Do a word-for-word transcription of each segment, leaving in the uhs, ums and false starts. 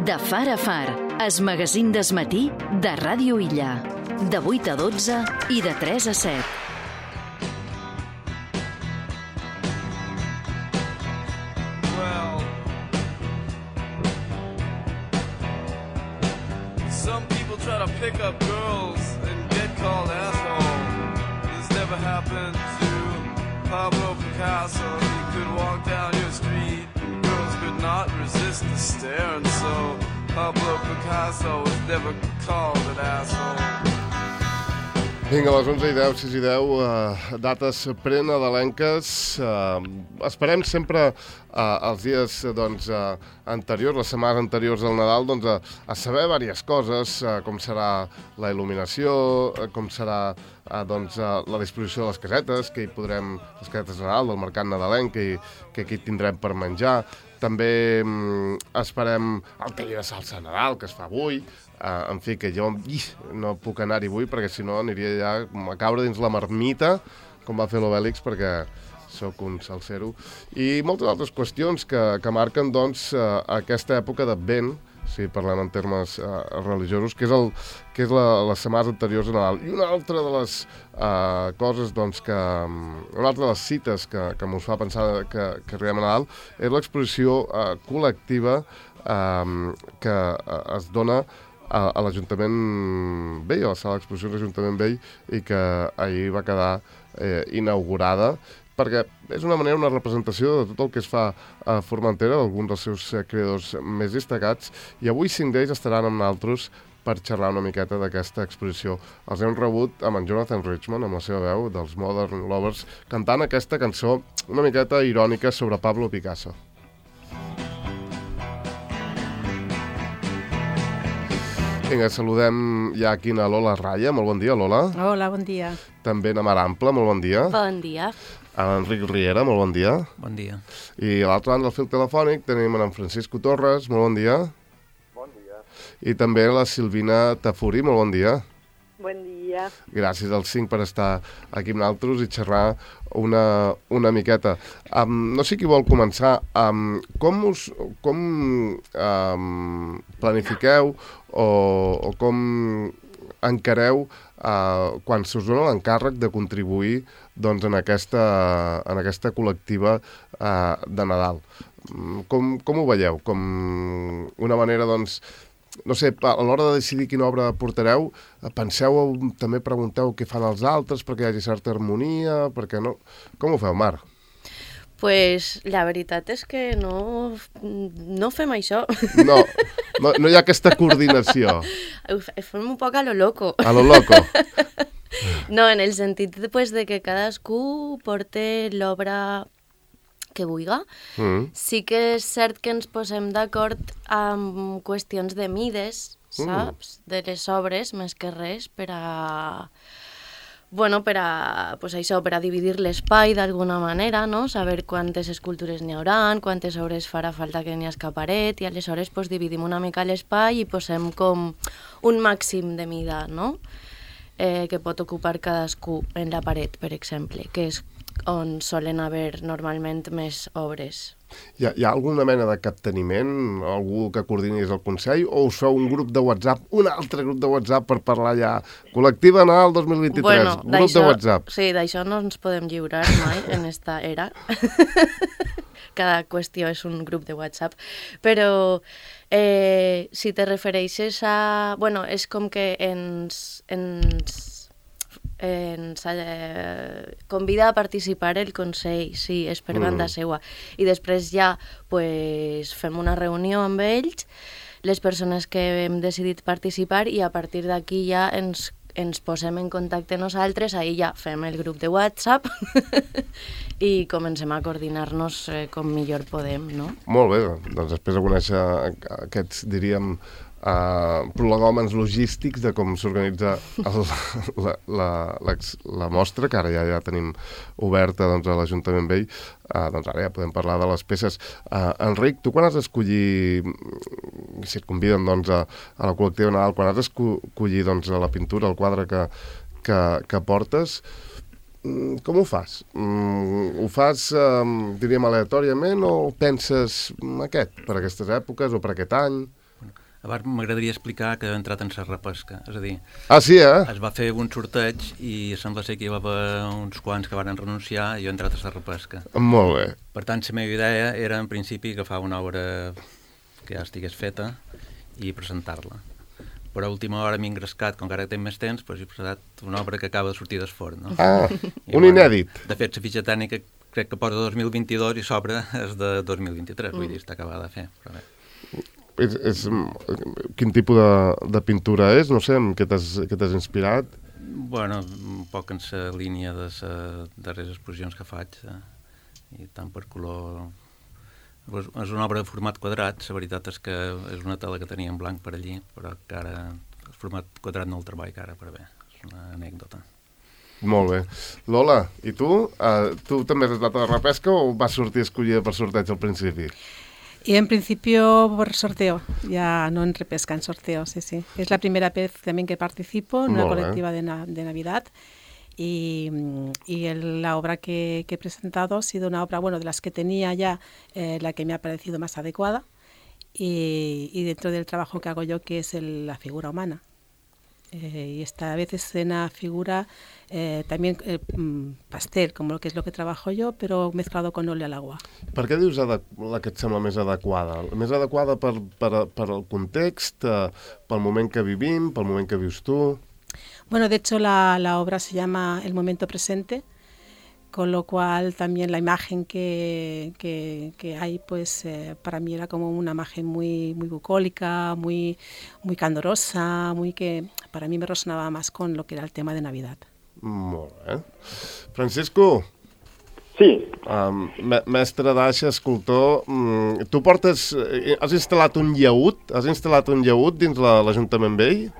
De far a far, es magazín d'esmatí de Ràdio Illa. De vuit a dotze i de tres a set. Well, some people try to pick up girls and get called asshole. This never happened to Pablo Picasso. He could walk down your street, girls could not resist the stare, and so Pablo Picasso was never called an asshole. Vinga, a les onze i deu, sis i deu, uh, dates prenadalenques. Uh, esperem sempre uh, els dies doncs, uh, anteriors, les setmanes anteriors al Nadal, doncs, uh, a saber diverses coses, uh, com serà la il·luminació, uh, com serà uh, doncs, uh, la disposició de les casetes, que hi podrem, les casetes de Nadal, del mercat nadalenc, que, hi, que aquí tindrem per menjar. També um, esperem el taller de salsa de Nadal, que es fa avui. Uh, en fi, que jo ih, no puc anar-hi avui perquè si no aniria ja a caure dins la marmita, com va fer l'Obèlix, perquè sóc un salsero. I moltes altres qüestions que, que marquen doncs, uh, aquesta època d'Advent, si parlem en termes uh, religiosos, que és, el, que és la, les setmanes anteriors a Nadal. I una altra de les uh, coses, doncs, que, una altra de les cites que, que mos fa pensar que, que arribem a Nadal és l'exposició uh, col·lectiva uh, que uh, es dona a, a l'Ajuntament Vell, a la sala d'exposició de l'Ajuntament Vell, i que ahir va quedar eh, inaugurada, perquè és una manera, una representació de tot el que es fa a Formentera, d'alguns dels seus creadors més destacats, i avui cinc d'ells estaran amb nosaltres per xerrar una miqueta d'aquesta exposició. Els hem rebut amb en Jonathan Richman, amb la seva veu, dels Modern Lovers, cantant aquesta cançó una miqueta irònica sobre Pablo Picasso. Vinga, saludem ja aquí a Lola Raya. Molt bon dia, Lola. Hola, bon dia. També a Mar Ample, molt bon dia. Bon dia. A l'Enric Riera, molt bon dia. Bon dia. I a l'altre banda del fil telefònic tenim en Francisco Torres, molt bon dia. Bon dia. I també la Silvina Tafuri, molt bon dia. Bon dia. Gràcies als cinc per estar aquí amb nosaltres i xerrar una, una miqueta. Um, no sé qui vol començar. Um, com us com, um, planifiqueu o, o com encareu uh, quan se us dona l'encàrrec de contribuir doncs, en, aquesta, en aquesta col·lectiva uh, de Nadal? Com, com ho veieu? Com una manera, doncs, no sé, a l'hora de decidir quina obra portareu, penseu, també pregunteu què fan els altres perquè hi hagi certa harmonia, perquè no... Com ho feu, Mar? Pues la veritat és que no, no fem això. No, no, no hi ha aquesta coordinació. Fem un poc a lo loco. A lo loco. No, en el sentit pues, de que cadascú porte l'obra que vulga. Mm. Sí que és cert que ens posem d'acord amb qüestions de mides, saps? Mm. De les obres, més que res, per a... Bueno, per a, pues això, per a dividir l'espai d'alguna manera, no? Saber quantes escultures n'hi haurà, quantes obres farà falta que n'hi hagi paret, i aleshores pues, dividim una mica l'espai i posem com un màxim de mida, no? Eh, que pot ocupar cadascú en la paret, per exemple, que és on solen haver normalment més obres. Hi ha, hi ha alguna mena de capteniment? Algú que coordini des del Consell? O us feu un grup de WhatsApp, un altre grup de WhatsApp per parlar ja? Col·lectiva Nadal dos mil vint-i-tres, bueno, grup de WhatsApp. Sí, d'això no ens podem lliurar mai en esta era. Cada qüestió és un grup de WhatsApp. Però eh, si te refereixes a... Bueno, és com que ens... ens ens eh, convida a participar el Consell, sí, és per banda mm. seua. I després ja pues, fem una reunió amb ells, les persones que hem decidit participar, i a partir d'aquí ja ens, ens posem en contacte nosaltres, ahir ja fem el grup de WhatsApp i comencem a coordinar-nos eh, com millor podem, no? Molt bé, doncs després de conèixer aquests, diríem, Uh, prolegòmens logístics de com s'organitza la, la, la, la mostra, que ara ja, ja tenim oberta doncs, a l'Ajuntament Vell, uh, doncs ara ja podem parlar de les peces. Uh, Enric, tu quan has d'escollir, si et conviden doncs, a, a la col·lectiva Nadal, quan has d'escollir doncs, la pintura, el quadre que, que, que portes, com ho fas? Mm, ho fas, um, diríem, aleatòriament o penses aquest, per aquestes èpoques o per aquest any? Abans m'agradaria explicar que he entrat en la repesca, és a dir... Ah, sí, eh? Es va fer un sorteig i sembla ser que hi va haver uns quants que van renunciar i jo he entrat a la repesca. Molt bé. Per tant, la meva idea era, en principi, agafar una obra que ja estigués feta i presentar-la. Però a última hora m'he engrescat, com que ara tinc més temps, doncs he presentat una obra que acaba de sortir d'esforn. No? Ah, I, un bueno, inèdit. De fet, la fitxa tècnica crec que posa dos mil vint-i-dos i s'obre és de dos mil vint-i-tres, mm. vull dir, està acabada de fer. Però bé. És, és, quin tipus de, de pintura és? No sé, amb què t'has inspirat? Bueno, un poc en la línia de les darreres exposicions que faig, eh? I tant per color... És una obra de format quadrat, la veritat és que és una tela que tenia en blanc per allí, però que ara el format quadrat no el treball, que ara per bé, és una anècdota. Molt bé. Lola, i tu? Uh, tu també has estat a la repesca o vas sortir escollida per sorteig al principi? Y en principio por sorteo, ya no en repesca, en sorteo, sí, sí. Es la primera vez también que participo en una Molt bé. colectiva de, na de Navidad y, y el, la obra que, que he presentado ha sido una obra, bueno, de las que tenía ya, eh, la que me ha parecido más adecuada y, y dentro del trabajo que hago yo, que es el, la figura humana. Eh, y esta vez es una figura eh, también eh, pastel, como lo que es lo que trabajo yo, pero mezclado con óleo al agua. Per què dius la que et sembla més adequada? Més adequada per, per, per el context, eh, pel moment que vivim, pel moment que vius tu? Bueno, de hecho la, la obra se llama El momento presente, con lo cual también la imagen que, que, que hay, pues eh, para mí era como una imagen muy, muy bucólica, muy, muy candorosa, muy que para mí me resonaba más con lo que era el tema de Navidad. Molt bé. Francisco? Sí. Um, mestre d'aixa, escultor, um, tu portes... Has instal·lat un llaüt? Has instal·lat un llaüt dins l'Ajuntament Vell?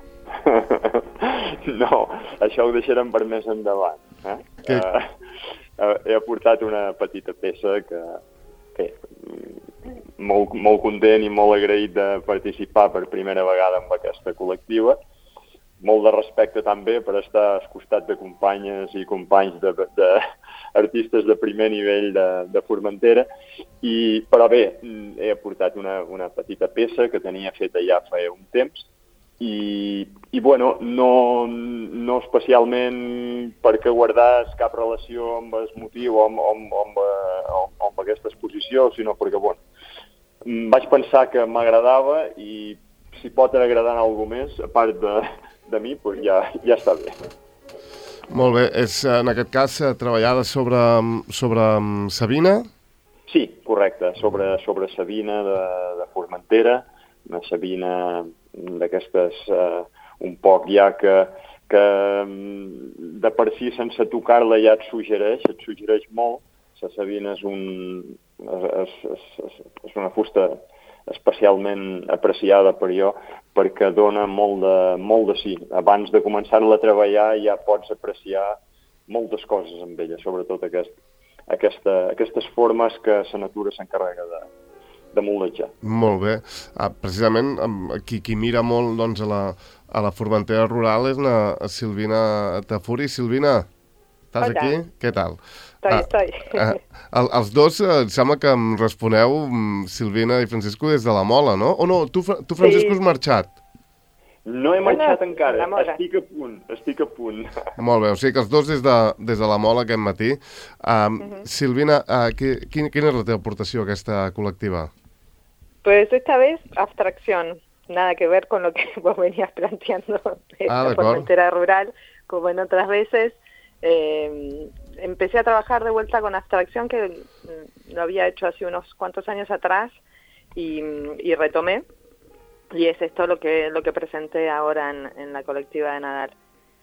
No, això ho deixarem per més endavant. Eh? Que... Uh, he aportat una petita peça que, que molt, molt content i molt agraït de participar per primera vegada en aquesta col·lectiva. Molt de respecte també per estar al costat de companyes i companys d'artistes de, de, de primer nivell de, de Formentera. I, però bé, he aportat una, una petita peça que tenia feta ja fa un temps. I, i bueno, no, no especialment perquè guardés cap relació amb el motiu o amb, amb, amb, amb, amb aquesta exposició, sinó perquè, bueno, vaig pensar que m'agradava i si pot agradar a algú més, a part de, de mi, doncs ja, ja està bé. Molt bé. És, en aquest cas, treballada sobre, sobre Sabina? Sí, correcte. Sobre, sobre Sabina de, de Formentera, una Sabina d'aquestes uh, un poc ja que, que de per si sense tocar-la ja et suggereix, et suggereix molt. La Sabina és, un, és, és, és una fusta especialment apreciada per jo perquè dona molt de, molt de sí. Abans de començar-la a treballar ja pots apreciar moltes coses amb ella, sobretot aquest, aquesta, aquestes formes que la natura s'encarrega de de moldejar. Molt bé. Ah, precisament, qui, qui mira molt doncs, a, la, a la Formentera rural és la Silvina Tafuri. Silvina, estàs Hola. aquí? Què tal? Estoy, ah, estoy. Ah, els dos, eh, sembla que em responeu, Silvina i Francisco, des de la Mola, no? O no, tu, tu Francisco, Sí. has marxat? No he marxat Bueno, encara, la Mola. estic a punt, estic a punt. Molt bé, o sigui que els dos des de, des de la Mola aquest matí. Um, uh-huh. Silvina, uh, qui, quin, quina és la teva aportació a aquesta col·lectiva? Pues esta vez abstracción, nada que ver con lo que vos venías planteando de Ah, la de Formentera rural, como en otras veces. Eh, empecé a trabajar de vuelta con abstracción, que mm, lo había hecho hace unos cuantos años atrás y, y retomé. Y es esto lo que lo que presenté ahora en, en la colectiva de Nadal,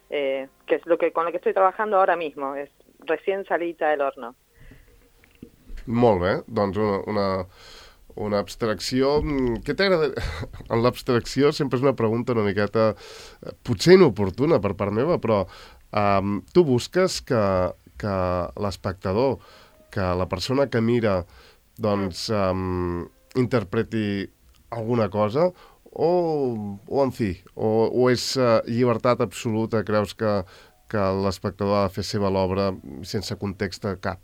eh, que es lo que con lo que estoy trabajando ahora mismo, es recién salida del horno. Molt bé, doncs una, una, una abstracció... Què t'agrada? En l'abstracció sempre és una pregunta una miqueta, potser inoportuna per part meva, però um, tu busques que, que l'espectador, que la persona que mira, doncs, um, interpreti alguna cosa, o, o en fi, o, o és uh, llibertat absoluta, creus que, que l'espectador ha de fer seva l'obra sense context cap?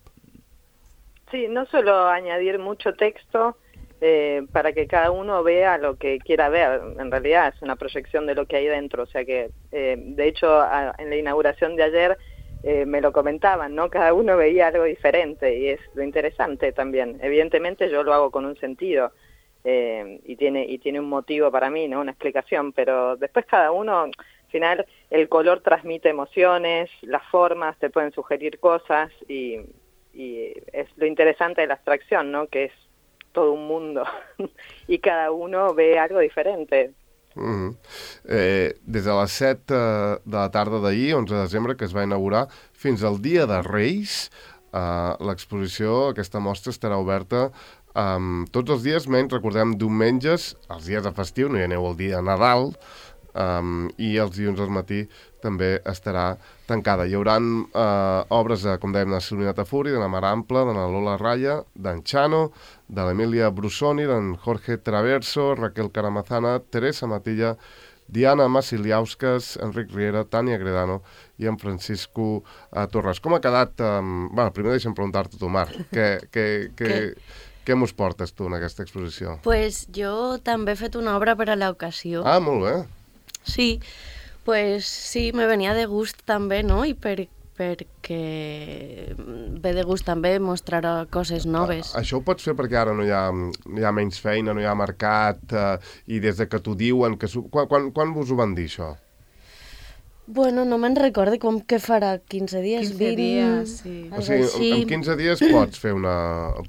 Sí, no solo añadir mucho texto, eh, para que cada uno vea lo que quiera ver. En realidad es una proyección de lo que hay dentro, o sea que, eh, de hecho, a, en la inauguración de ayer eh, me lo comentaban, ¿no? Cada uno veía algo diferente y es lo interesante también. Evidentemente yo lo hago con un sentido eh, y tiene y tiene un motivo para mí, ¿no? Una explicación, pero después cada uno, al final, el color transmite emociones, las formas te pueden sugerir cosas y, y es lo interesante de la abstracción, ¿no? Que es todo un mundo i cada uno ve algo diferente. Mm-hmm. eh, des de les set eh, de la tarda d'ahir, onze de desembre, que es va inaugurar, fins al dia de Reis, eh, l'exposició, aquesta mostra estarà oberta um, tots els dies, menys, recordem, diumenges, els dies de festiu, no hi aneu el dia de Nadal, um, i els dilluns al matí també estarà tancada. Hi haurà uh, obres, de, com dèiem, de Silvina Tafuri, de la Mar Ampla, de la Lola Raya, d'en Chano, de l'Emilia Brusoni, d'en Jorge Traverso, Raquel Caramazana, Teresa Matilla, Diana Masiliauskas, Enric Riera, Tània Gredano i en Francisco uh, Torres. Com ha quedat... Um, bueno, primer deixa'm preguntar-te tu, Mar, què, què, què, què mos portes tu en aquesta exposició? Pues jo també he fet una obra per a l'ocasió. Ah, molt bé. Sí, pues sí, me venia de gust també, no? I per, perquè ve de gust també mostrar coses noves. A, això ho pots fer perquè ara no hi ha, hi ha menys feina, no hi ha mercat, eh, i des de que t'ho diuen... Que quan, quan, quan vos ho van dir, això? Bueno, no me'n recordo com que farà quinze dies, quinze vint... dies, sí. O sigui, en quinze dies pots fer una...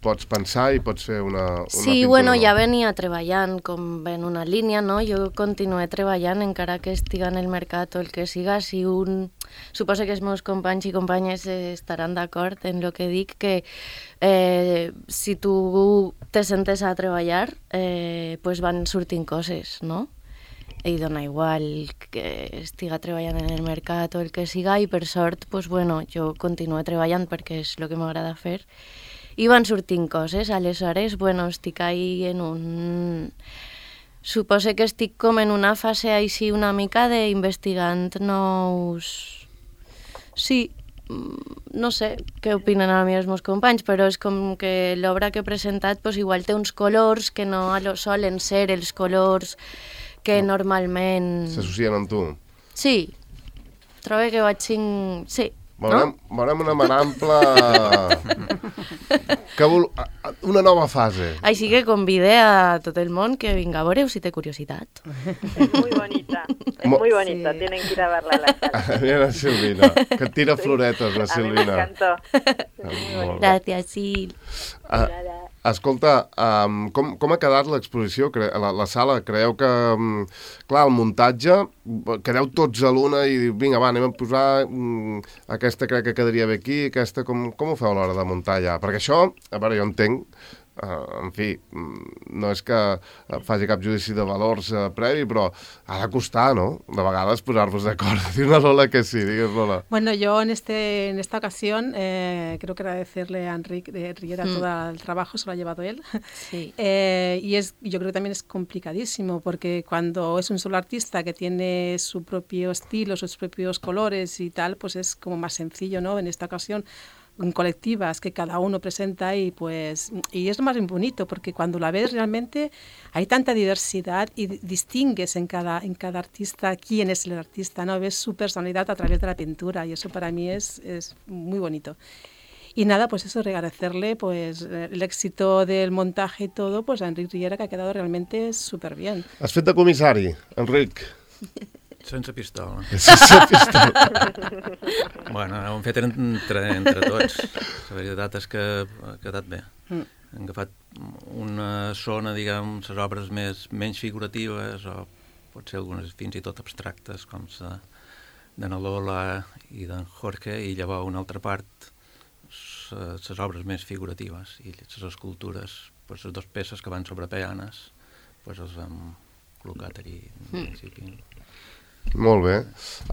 pots pensar i pots fer una, una sí, pintura. Bueno, ja venia treballant com en una línia, no? Jo continué treballant encara que estiga en el mercat o el que siga. Si un... Suposo que els meus companys i companyes estaran d'acord en el que dic, que eh, si tu te sentes a treballar, eh, pues van sortint coses, no? I dona igual que estiga treballant en el mercat o el que siga, i per sort, pues, bueno, jo continuo treballant perquè és el que m'agrada fer, i van sortint coses. Aleshores, bueno, estic ahí en un... Suposo que estic com en una fase així una mica d'investigant nous... Sí, no sé què opinen a mi els meus companys, però és com que l'obra que he presentat pues, igual té uns colors que no solen ser els colors que no. Normalment... S'associen amb tu? Sí. Trobo que vaig cinc... Sí. Veurem, no? veurem una Mar Ampla... que vol... una nova fase. Així que convide a tot el món que vinga a veure si té curiositat. És muy bonita, es Mo... muy bonita, sí. Tienen que ir a verla a la sala. Mira la Silvina, que et tira sí. floretes, la Silvina. A mi m'encantó. Gràcies, Sil. Ah, escolta, um, com, com ha quedat l'exposició, la, la sala? Creieu que, um, clar, el muntatge, quedeu tots a l'una i vinga, va, anem a posar um, aquesta crec que quedaria bé aquí, aquesta, com, com ho feu a l'hora de muntar ja? Perquè això, a veure, jo entenc, Uh, en fi, no és que faci cap judici de valors uh, previ, però ha de costar, ¿no? De vegades posar-vos d'acord. Dir una Lola que sí, digues Lola. Bueno, yo en este en esta ocasión eh, creo que agradecerle a Enric de Riera mm. todo el trabajo, se lo ha llevado él. Sí. Eh, y es, yo creo que también es complicadísimo, porque cuando es un solo artista que tiene su propio estilo, sus propios colores y tal, pues es como más sencillo, ¿no? En esta ocasión, colectivas que cada uno presenta y pues y es lo más bonito porque cuando la ves realmente hay tanta diversidad y distingues en cada en cada artista quién es el artista, no ves su personalidad a través de la pintura y eso para mí es, es muy bonito. Y nada, pues eso, agradecerle pues el éxito del montaje y todo pues a Enric Riera, que ha quedado realmente súper bien. Has fet de comissari, Enric? Sense pistola. Sense pistola. Bueno, ho hem fet entre, entre tots. La veritat és que ha quedat bé. Mm. Hem agafat una zona, diguem, les obres més, menys figuratives o potser algunes fins i tot abstractes, com la de la Lola i d'en Jorge, i llavors una altra part, les obres més figuratives i les escultures, pues, les dues peces que van sobre peanes, pues, els hem col·locat allí en principi. Mm. Molt bé.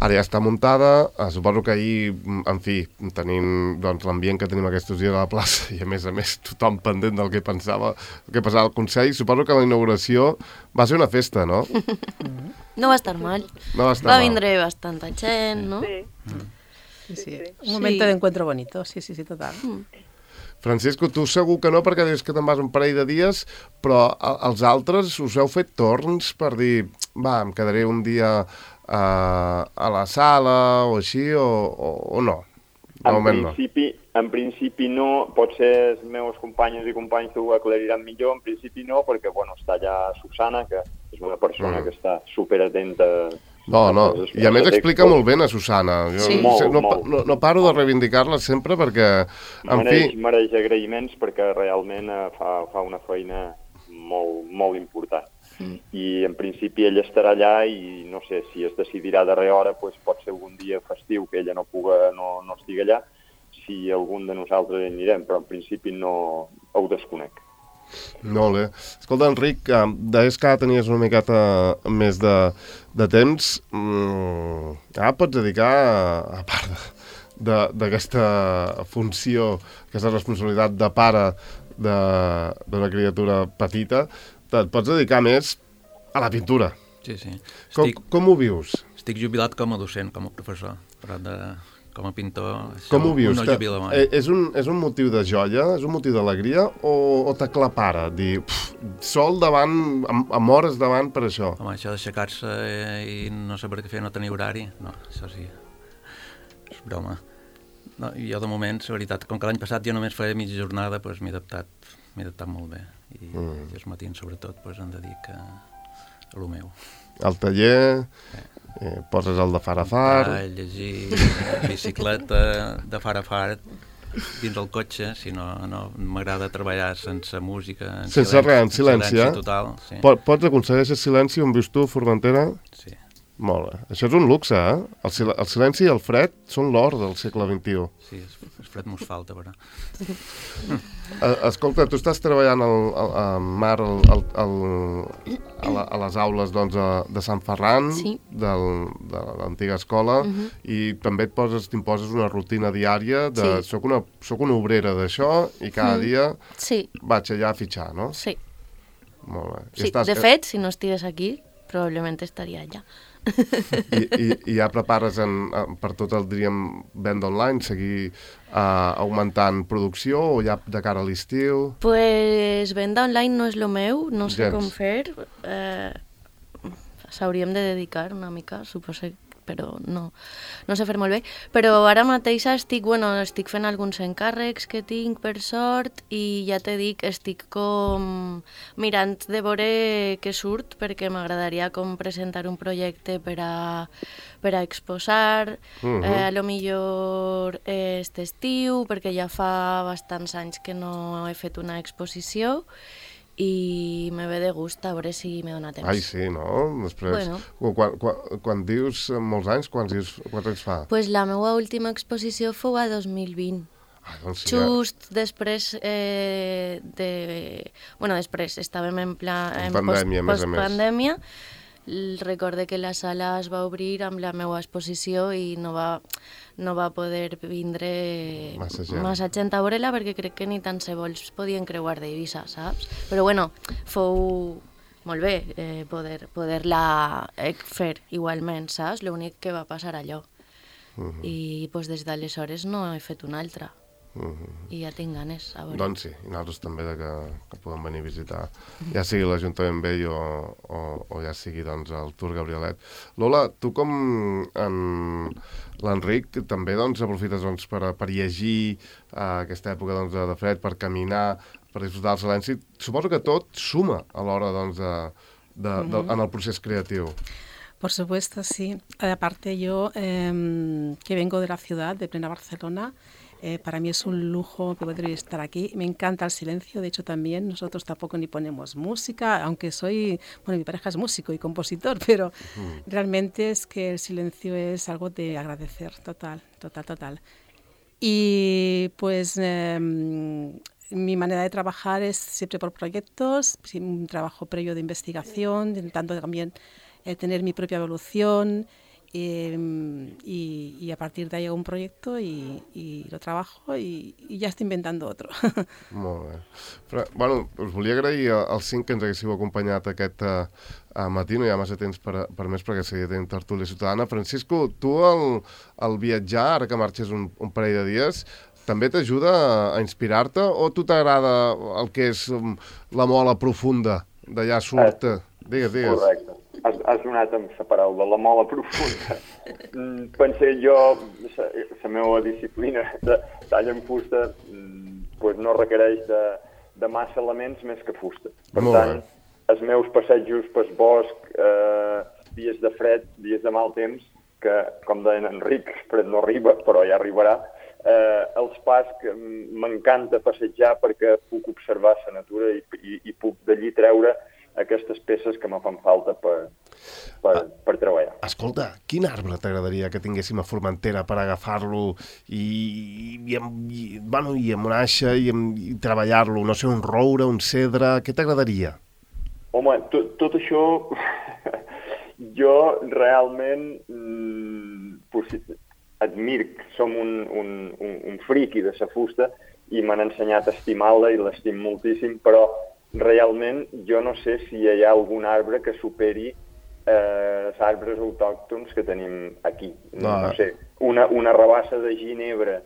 Ara ja està muntada. Suposo que ahir, en fi, tenint doncs, l'ambient que tenim aquests dies a la plaça i a més a més tothom pendent del que pensava, el que passava al Consell, suposo que la inauguració va ser una festa, no? No va estar mal. No va estar va mal. vindre bastanta gent, no? Sí. Sí, sí. Un momento sí. de encuentro bonito, sí, sí, sí, total. Mm. Francisco, tu segur que no, perquè dius que te'n vas un parell de dies, però els altres us heu fet torns per dir, va, em quedaré un dia a, a la sala o així, o, o, o no? En principi, no. en principi no, potser els meus companyes i companys ho aclariran millor, en principi no, perquè bueno, està allà Susana, que és una persona mm. que està superatenta. No, no, i a més explica molt bé a Susana. Jo sí. no, molt, no, molt. no, no paro de reivindicar-la sempre perquè, en mereix, fi... Mereix agraïments perquè realment fa, fa una feina molt, molt important. Mm. I en principi ella estarà allà i no sé si es decidirà darrere hora, doncs pot ser algun dia festiu que ella no puga, no, no estigui allà, si algun de nosaltres hi anirem, però en principi no ho desconec. Molt bé. Escolta, Enric, deies que ara tenies una miqueta més de, de temps. Mm, ara pots dedicar, a part d'aquesta funció, aquesta responsabilitat de pare d'una criatura petita, et pots dedicar més a la pintura. Sí, sí. Estic, com, com ho vius? Estic jubilat com a docent, com a professor, però de, com a pintor com ho vius? no jubila mai. És un, és un motiu de joia, és un motiu d'alegria o, o t'aclapara? Dir, pf, sol davant, amb, amb hores davant per això. Home, això d'aixecar-se i no saber què fer, no tenir horari, no, això sí, és broma. No, jo de moment, la veritat, com que l'any passat jo només feia mitja jornada, doncs m'he adaptat, m'he adaptat molt bé. I, mm. i els matins, sobretot, doncs em dedico a, a lo meu. Al taller, eh. Eh, poses el de far a far... A llegir, bicicleta, de far a far, dins el cotxe, si no, no m'agrada treballar sense música, en sense silenci, res, en silenci, silenci eh? total. Sí. Pots aconseguir el silenci on vius tu, Formentera? Sí. Molt bé. Això és un luxe, eh? El, sil el silenci i el fred són l'or del segle vint-i-u. Sí, el fred mos falta, però... Escolta, tu estàs treballant al, al, al Mar al, al, al, a, la, a les aules doncs, de, de Sant Ferran, sí. del, de l'antiga escola, uh -huh. i també et poses, t'imposes una rutina diària de sí. soc, una, soc una obrera d'això i cada mm. dia sí. vaig allà a fitxar, no? Sí. Molt bé. Sí. Estàs... De fet, si no estigués aquí, probablement estaria allà. I, i, i ja prepares en, per tot el, diríem, venda online, seguir uh, augmentant producció o ja de cara a l'estiu? Pues venda online no és el meu, no sé Gens. com fer. Eh, S'hauríem de dedicar una mica, suposo, però no, no sé fer molt bé. Però ara mateix estic, bueno, estic fent alguns encàrrecs que tinc per sort i ja te dic, estic com mirant de veure què surt perquè m'agradaria com presentar un projecte per a, per a exposar, uh-huh. eh, a lo millor este estiu, perquè ja fa bastants anys que no he fet una exposició i me ve de gust a veure si me dona temps. Ai, sí, no? Després, bueno. quan, quan, quan dius molts anys, quants, dius, quants anys fa? Pues la meva última exposició fou a dos mil vint. Ah, doncs sí, just ja. després eh, de... Bueno, després estàvem en pla... En pandèmia, post, a més a pandèmia. Recorde que la sala es va obrir amb la meva exposició i no va, no va poder vindre massa gent, massa gent a veure-la perquè crec que ni tan se vols podien creuar d'Eivissa, saps? Però bueno, fou molt bé eh, poder, poder-la fer igualment, saps? L'únic que va passar allò. Uh -huh. I pues, des d'aleshores no he fet una altra. Uh -huh. I ja tinc ganes, a veure. Doncs sí, i nosaltres també de que, que podem venir a visitar, ja sigui l'Ajuntament Vell o, o, o ja sigui doncs, el Tour Gabrielet. Lola, tu com en l'Enric també doncs, aprofites doncs, per, per llegir uh, aquesta època doncs, de, de fred, per caminar, per disfrutar del silenci. Suposo que tot suma a l'hora doncs, de, de, uh -huh. de, en el procés creatiu. Por supuesto, sí. Aparte yo, eh, que vengo de la ciudad, de plena Barcelona, Eh, para mí es un lujo poder estar aquí. Me encanta el silencio, de hecho también nosotros tampoco ni ponemos música, aunque soy, bueno, mi pareja es músico y compositor, pero uh-huh. realmente es que el silencio es algo de agradecer, total, total, total. Y pues eh, mi manera de trabajar es siempre por proyectos, un trabajo previo de investigación, intentando también eh, tener mi propia evolución. Eh, y, y a partir de ahí hago un proyecto y, y lo trabajo y, y ja estic inventant otro. Molt bé. Però, bueno, us volia agrair als cinc que ens haguéssiu acompanyat aquest uh, matí, no hi ha massa temps per, per més perquè seguia tenint tertúlia ciutadana. Francisco, tu al, al viatjar, ara que marxes un, un parell de dies, també t'ajuda a inspirar-te o tu t'agrada el que és la mola profunda d'allà surt? Eh, digues, digues. Correcte. Has, has donat amb la paraula, la mola profunda. Pensé jo, la meva disciplina de tall en fusta pues no requereix de, de massa elements més que fusta. Per Molt tant, bé. Els meus passejos pel bosc, eh, dies de fred, dies de mal temps, que, com deien Enric, fred no arriba, però ja arribarà, eh, els pas que m'encanta passejar perquè puc observar la natura i, i, i puc d'allí treure aquestes peces que me fan falta per, per, per treballar. Escolta, quin arbre t'agradaria que tinguéssim a Formentera per agafar-lo i, i, i, bueno, i amb una aixa i, i treballar-lo? No sé, un roure, un cedre, què t'agradaria? Home, tot, tot això, jo realment mm, pues, admir que som un, un, un, un friqui de sa fusta i m'han ensenyat a estimar-la i l'estim moltíssim, però realment jo no sé si hi ha algun arbre que superi eh, els arbres autòctons que tenim aquí. No, no sé, una, una rabassa de ginebre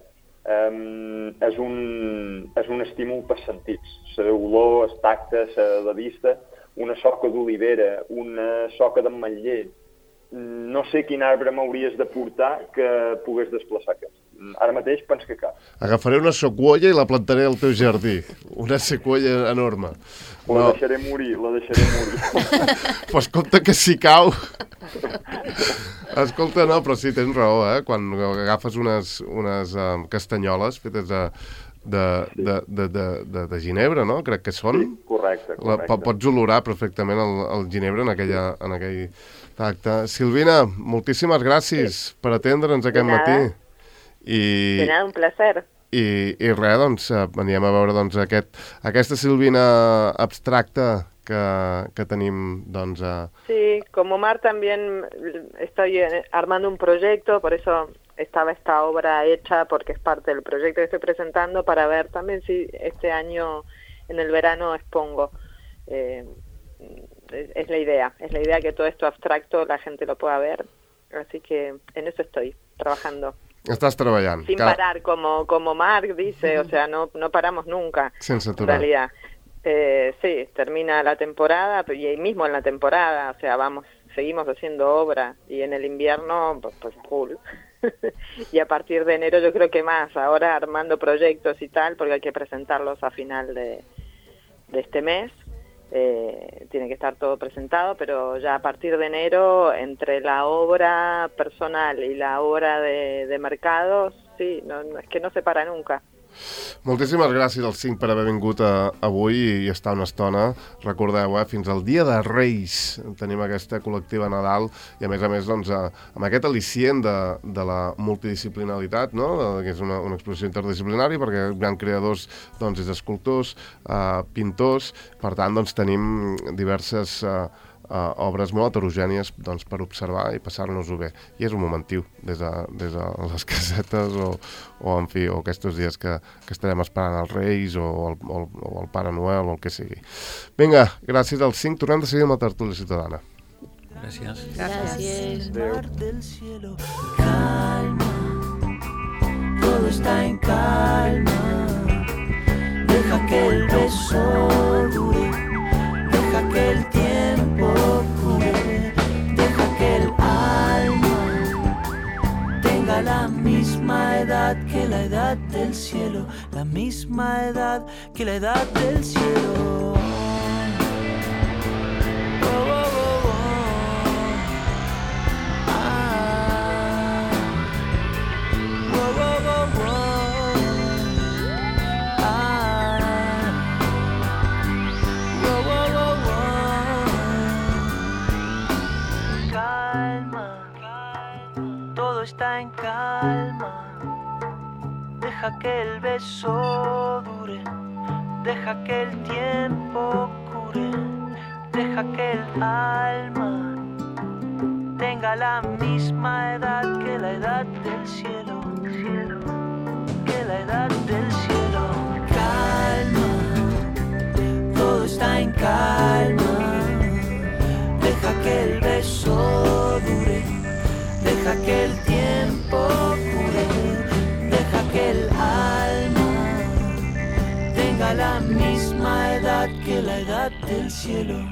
um, és, un, és un estímul pels sentits. L'olor, el tacte, la vista, una soca d'olivera, una soca d'ametller. No sé quin arbre m'hauries de portar que pogués desplaçar aquest. Ara mateix penso que cap. Agafaré una sequoia i la plantaré al teu jardí. Una sequoia enorme. La no. deixaré morir, la deixaré morir. Pues compte que si cau... Escolta, no, però sí, tens raó, eh? Quan agafes unes, unes um, castanyoles fetes de, de, sí. de, de, de, de, de ginebre, no? Crec que són. Sí, correcte, correcte. La, pots olorar perfectament el, el ginebre en, aquella, en aquell tacte. Silvina, moltíssimes gràcies sí. per atendre'ns aquest matí. I, de nada, un placer. I, i res, doncs, veníem a veure doncs, aquest, aquesta Silvina abstracta que, que tenim, doncs... A... Sí, como Mar también estoy armando un proyecto, por eso estaba esta obra hecha, porque es parte del proyecto que estoy presentando, para ver también si este año en el verano expongo. Eh, es, es la idea, es la idea que todo esto abstracto la gente lo pueda ver, así que en eso estoy trabajando. Estás treballant. Sin cada... parar, como, como Marc dice, o sea, no, no paramos nunca. Sense aturar. En realidad. Eh, sí, termina la temporada, y ahí mismo en la temporada, o sea, vamos, seguimos haciendo obra, y en el invierno, pues, pues full. Y a partir de enero yo creo que más, ahora armando proyectos y tal, porque hay que presentarlos a final de, de este mes. Eh, tiene que estar todo presentado, pero ya a partir de enero, entre la obra personal y la obra de, de mercados, sí, no, no, es que no se para nunca. Moltíssimes gràcies als cinc per haver vingut a, avui i estar una estona. Recordeu, eh, fins al dia de Reis tenim aquesta col·lectiva Nadal i a més a més doncs, a, amb aquest al·licient de, de la multidisciplinaritat, no? De, que és una, una exposició interdisciplinària perquè hi ha creadors, doncs, és escultors, eh, pintors, per tant doncs, tenim diverses eh, Uh, obres molt heterogènies doncs, per observar i passar-nos-ho bé. I és un momentiu des de, des de les casetes o, o, en fi, o aquests dies que, que estarem esperant els Reis o el, o, el, o el Pare Noel o el que sigui. Vinga, gràcies als cinc. Tornem de seguir amb la tertúlia ciutadana. Gràcies. Gràcies. Adéu. Calma, todo está en calma. Deja que el beso dure. Deja que el tiempo cure, deja que el alma tenga la misma edad que la edad del cielo, la misma edad que la edad del cielo. Oh, oh, oh, oh. Ah. Oh, oh, oh, oh. Está en calma, deja que el beso dure, deja que el tiempo cure, deja que el alma tenga la misma edad que la edad del cielo, que la edad del cielo. Calma, todo está en calma, deja que el beso dure. Deja que el tiempo cure, deja que el alma misma edad que la edad del cielo.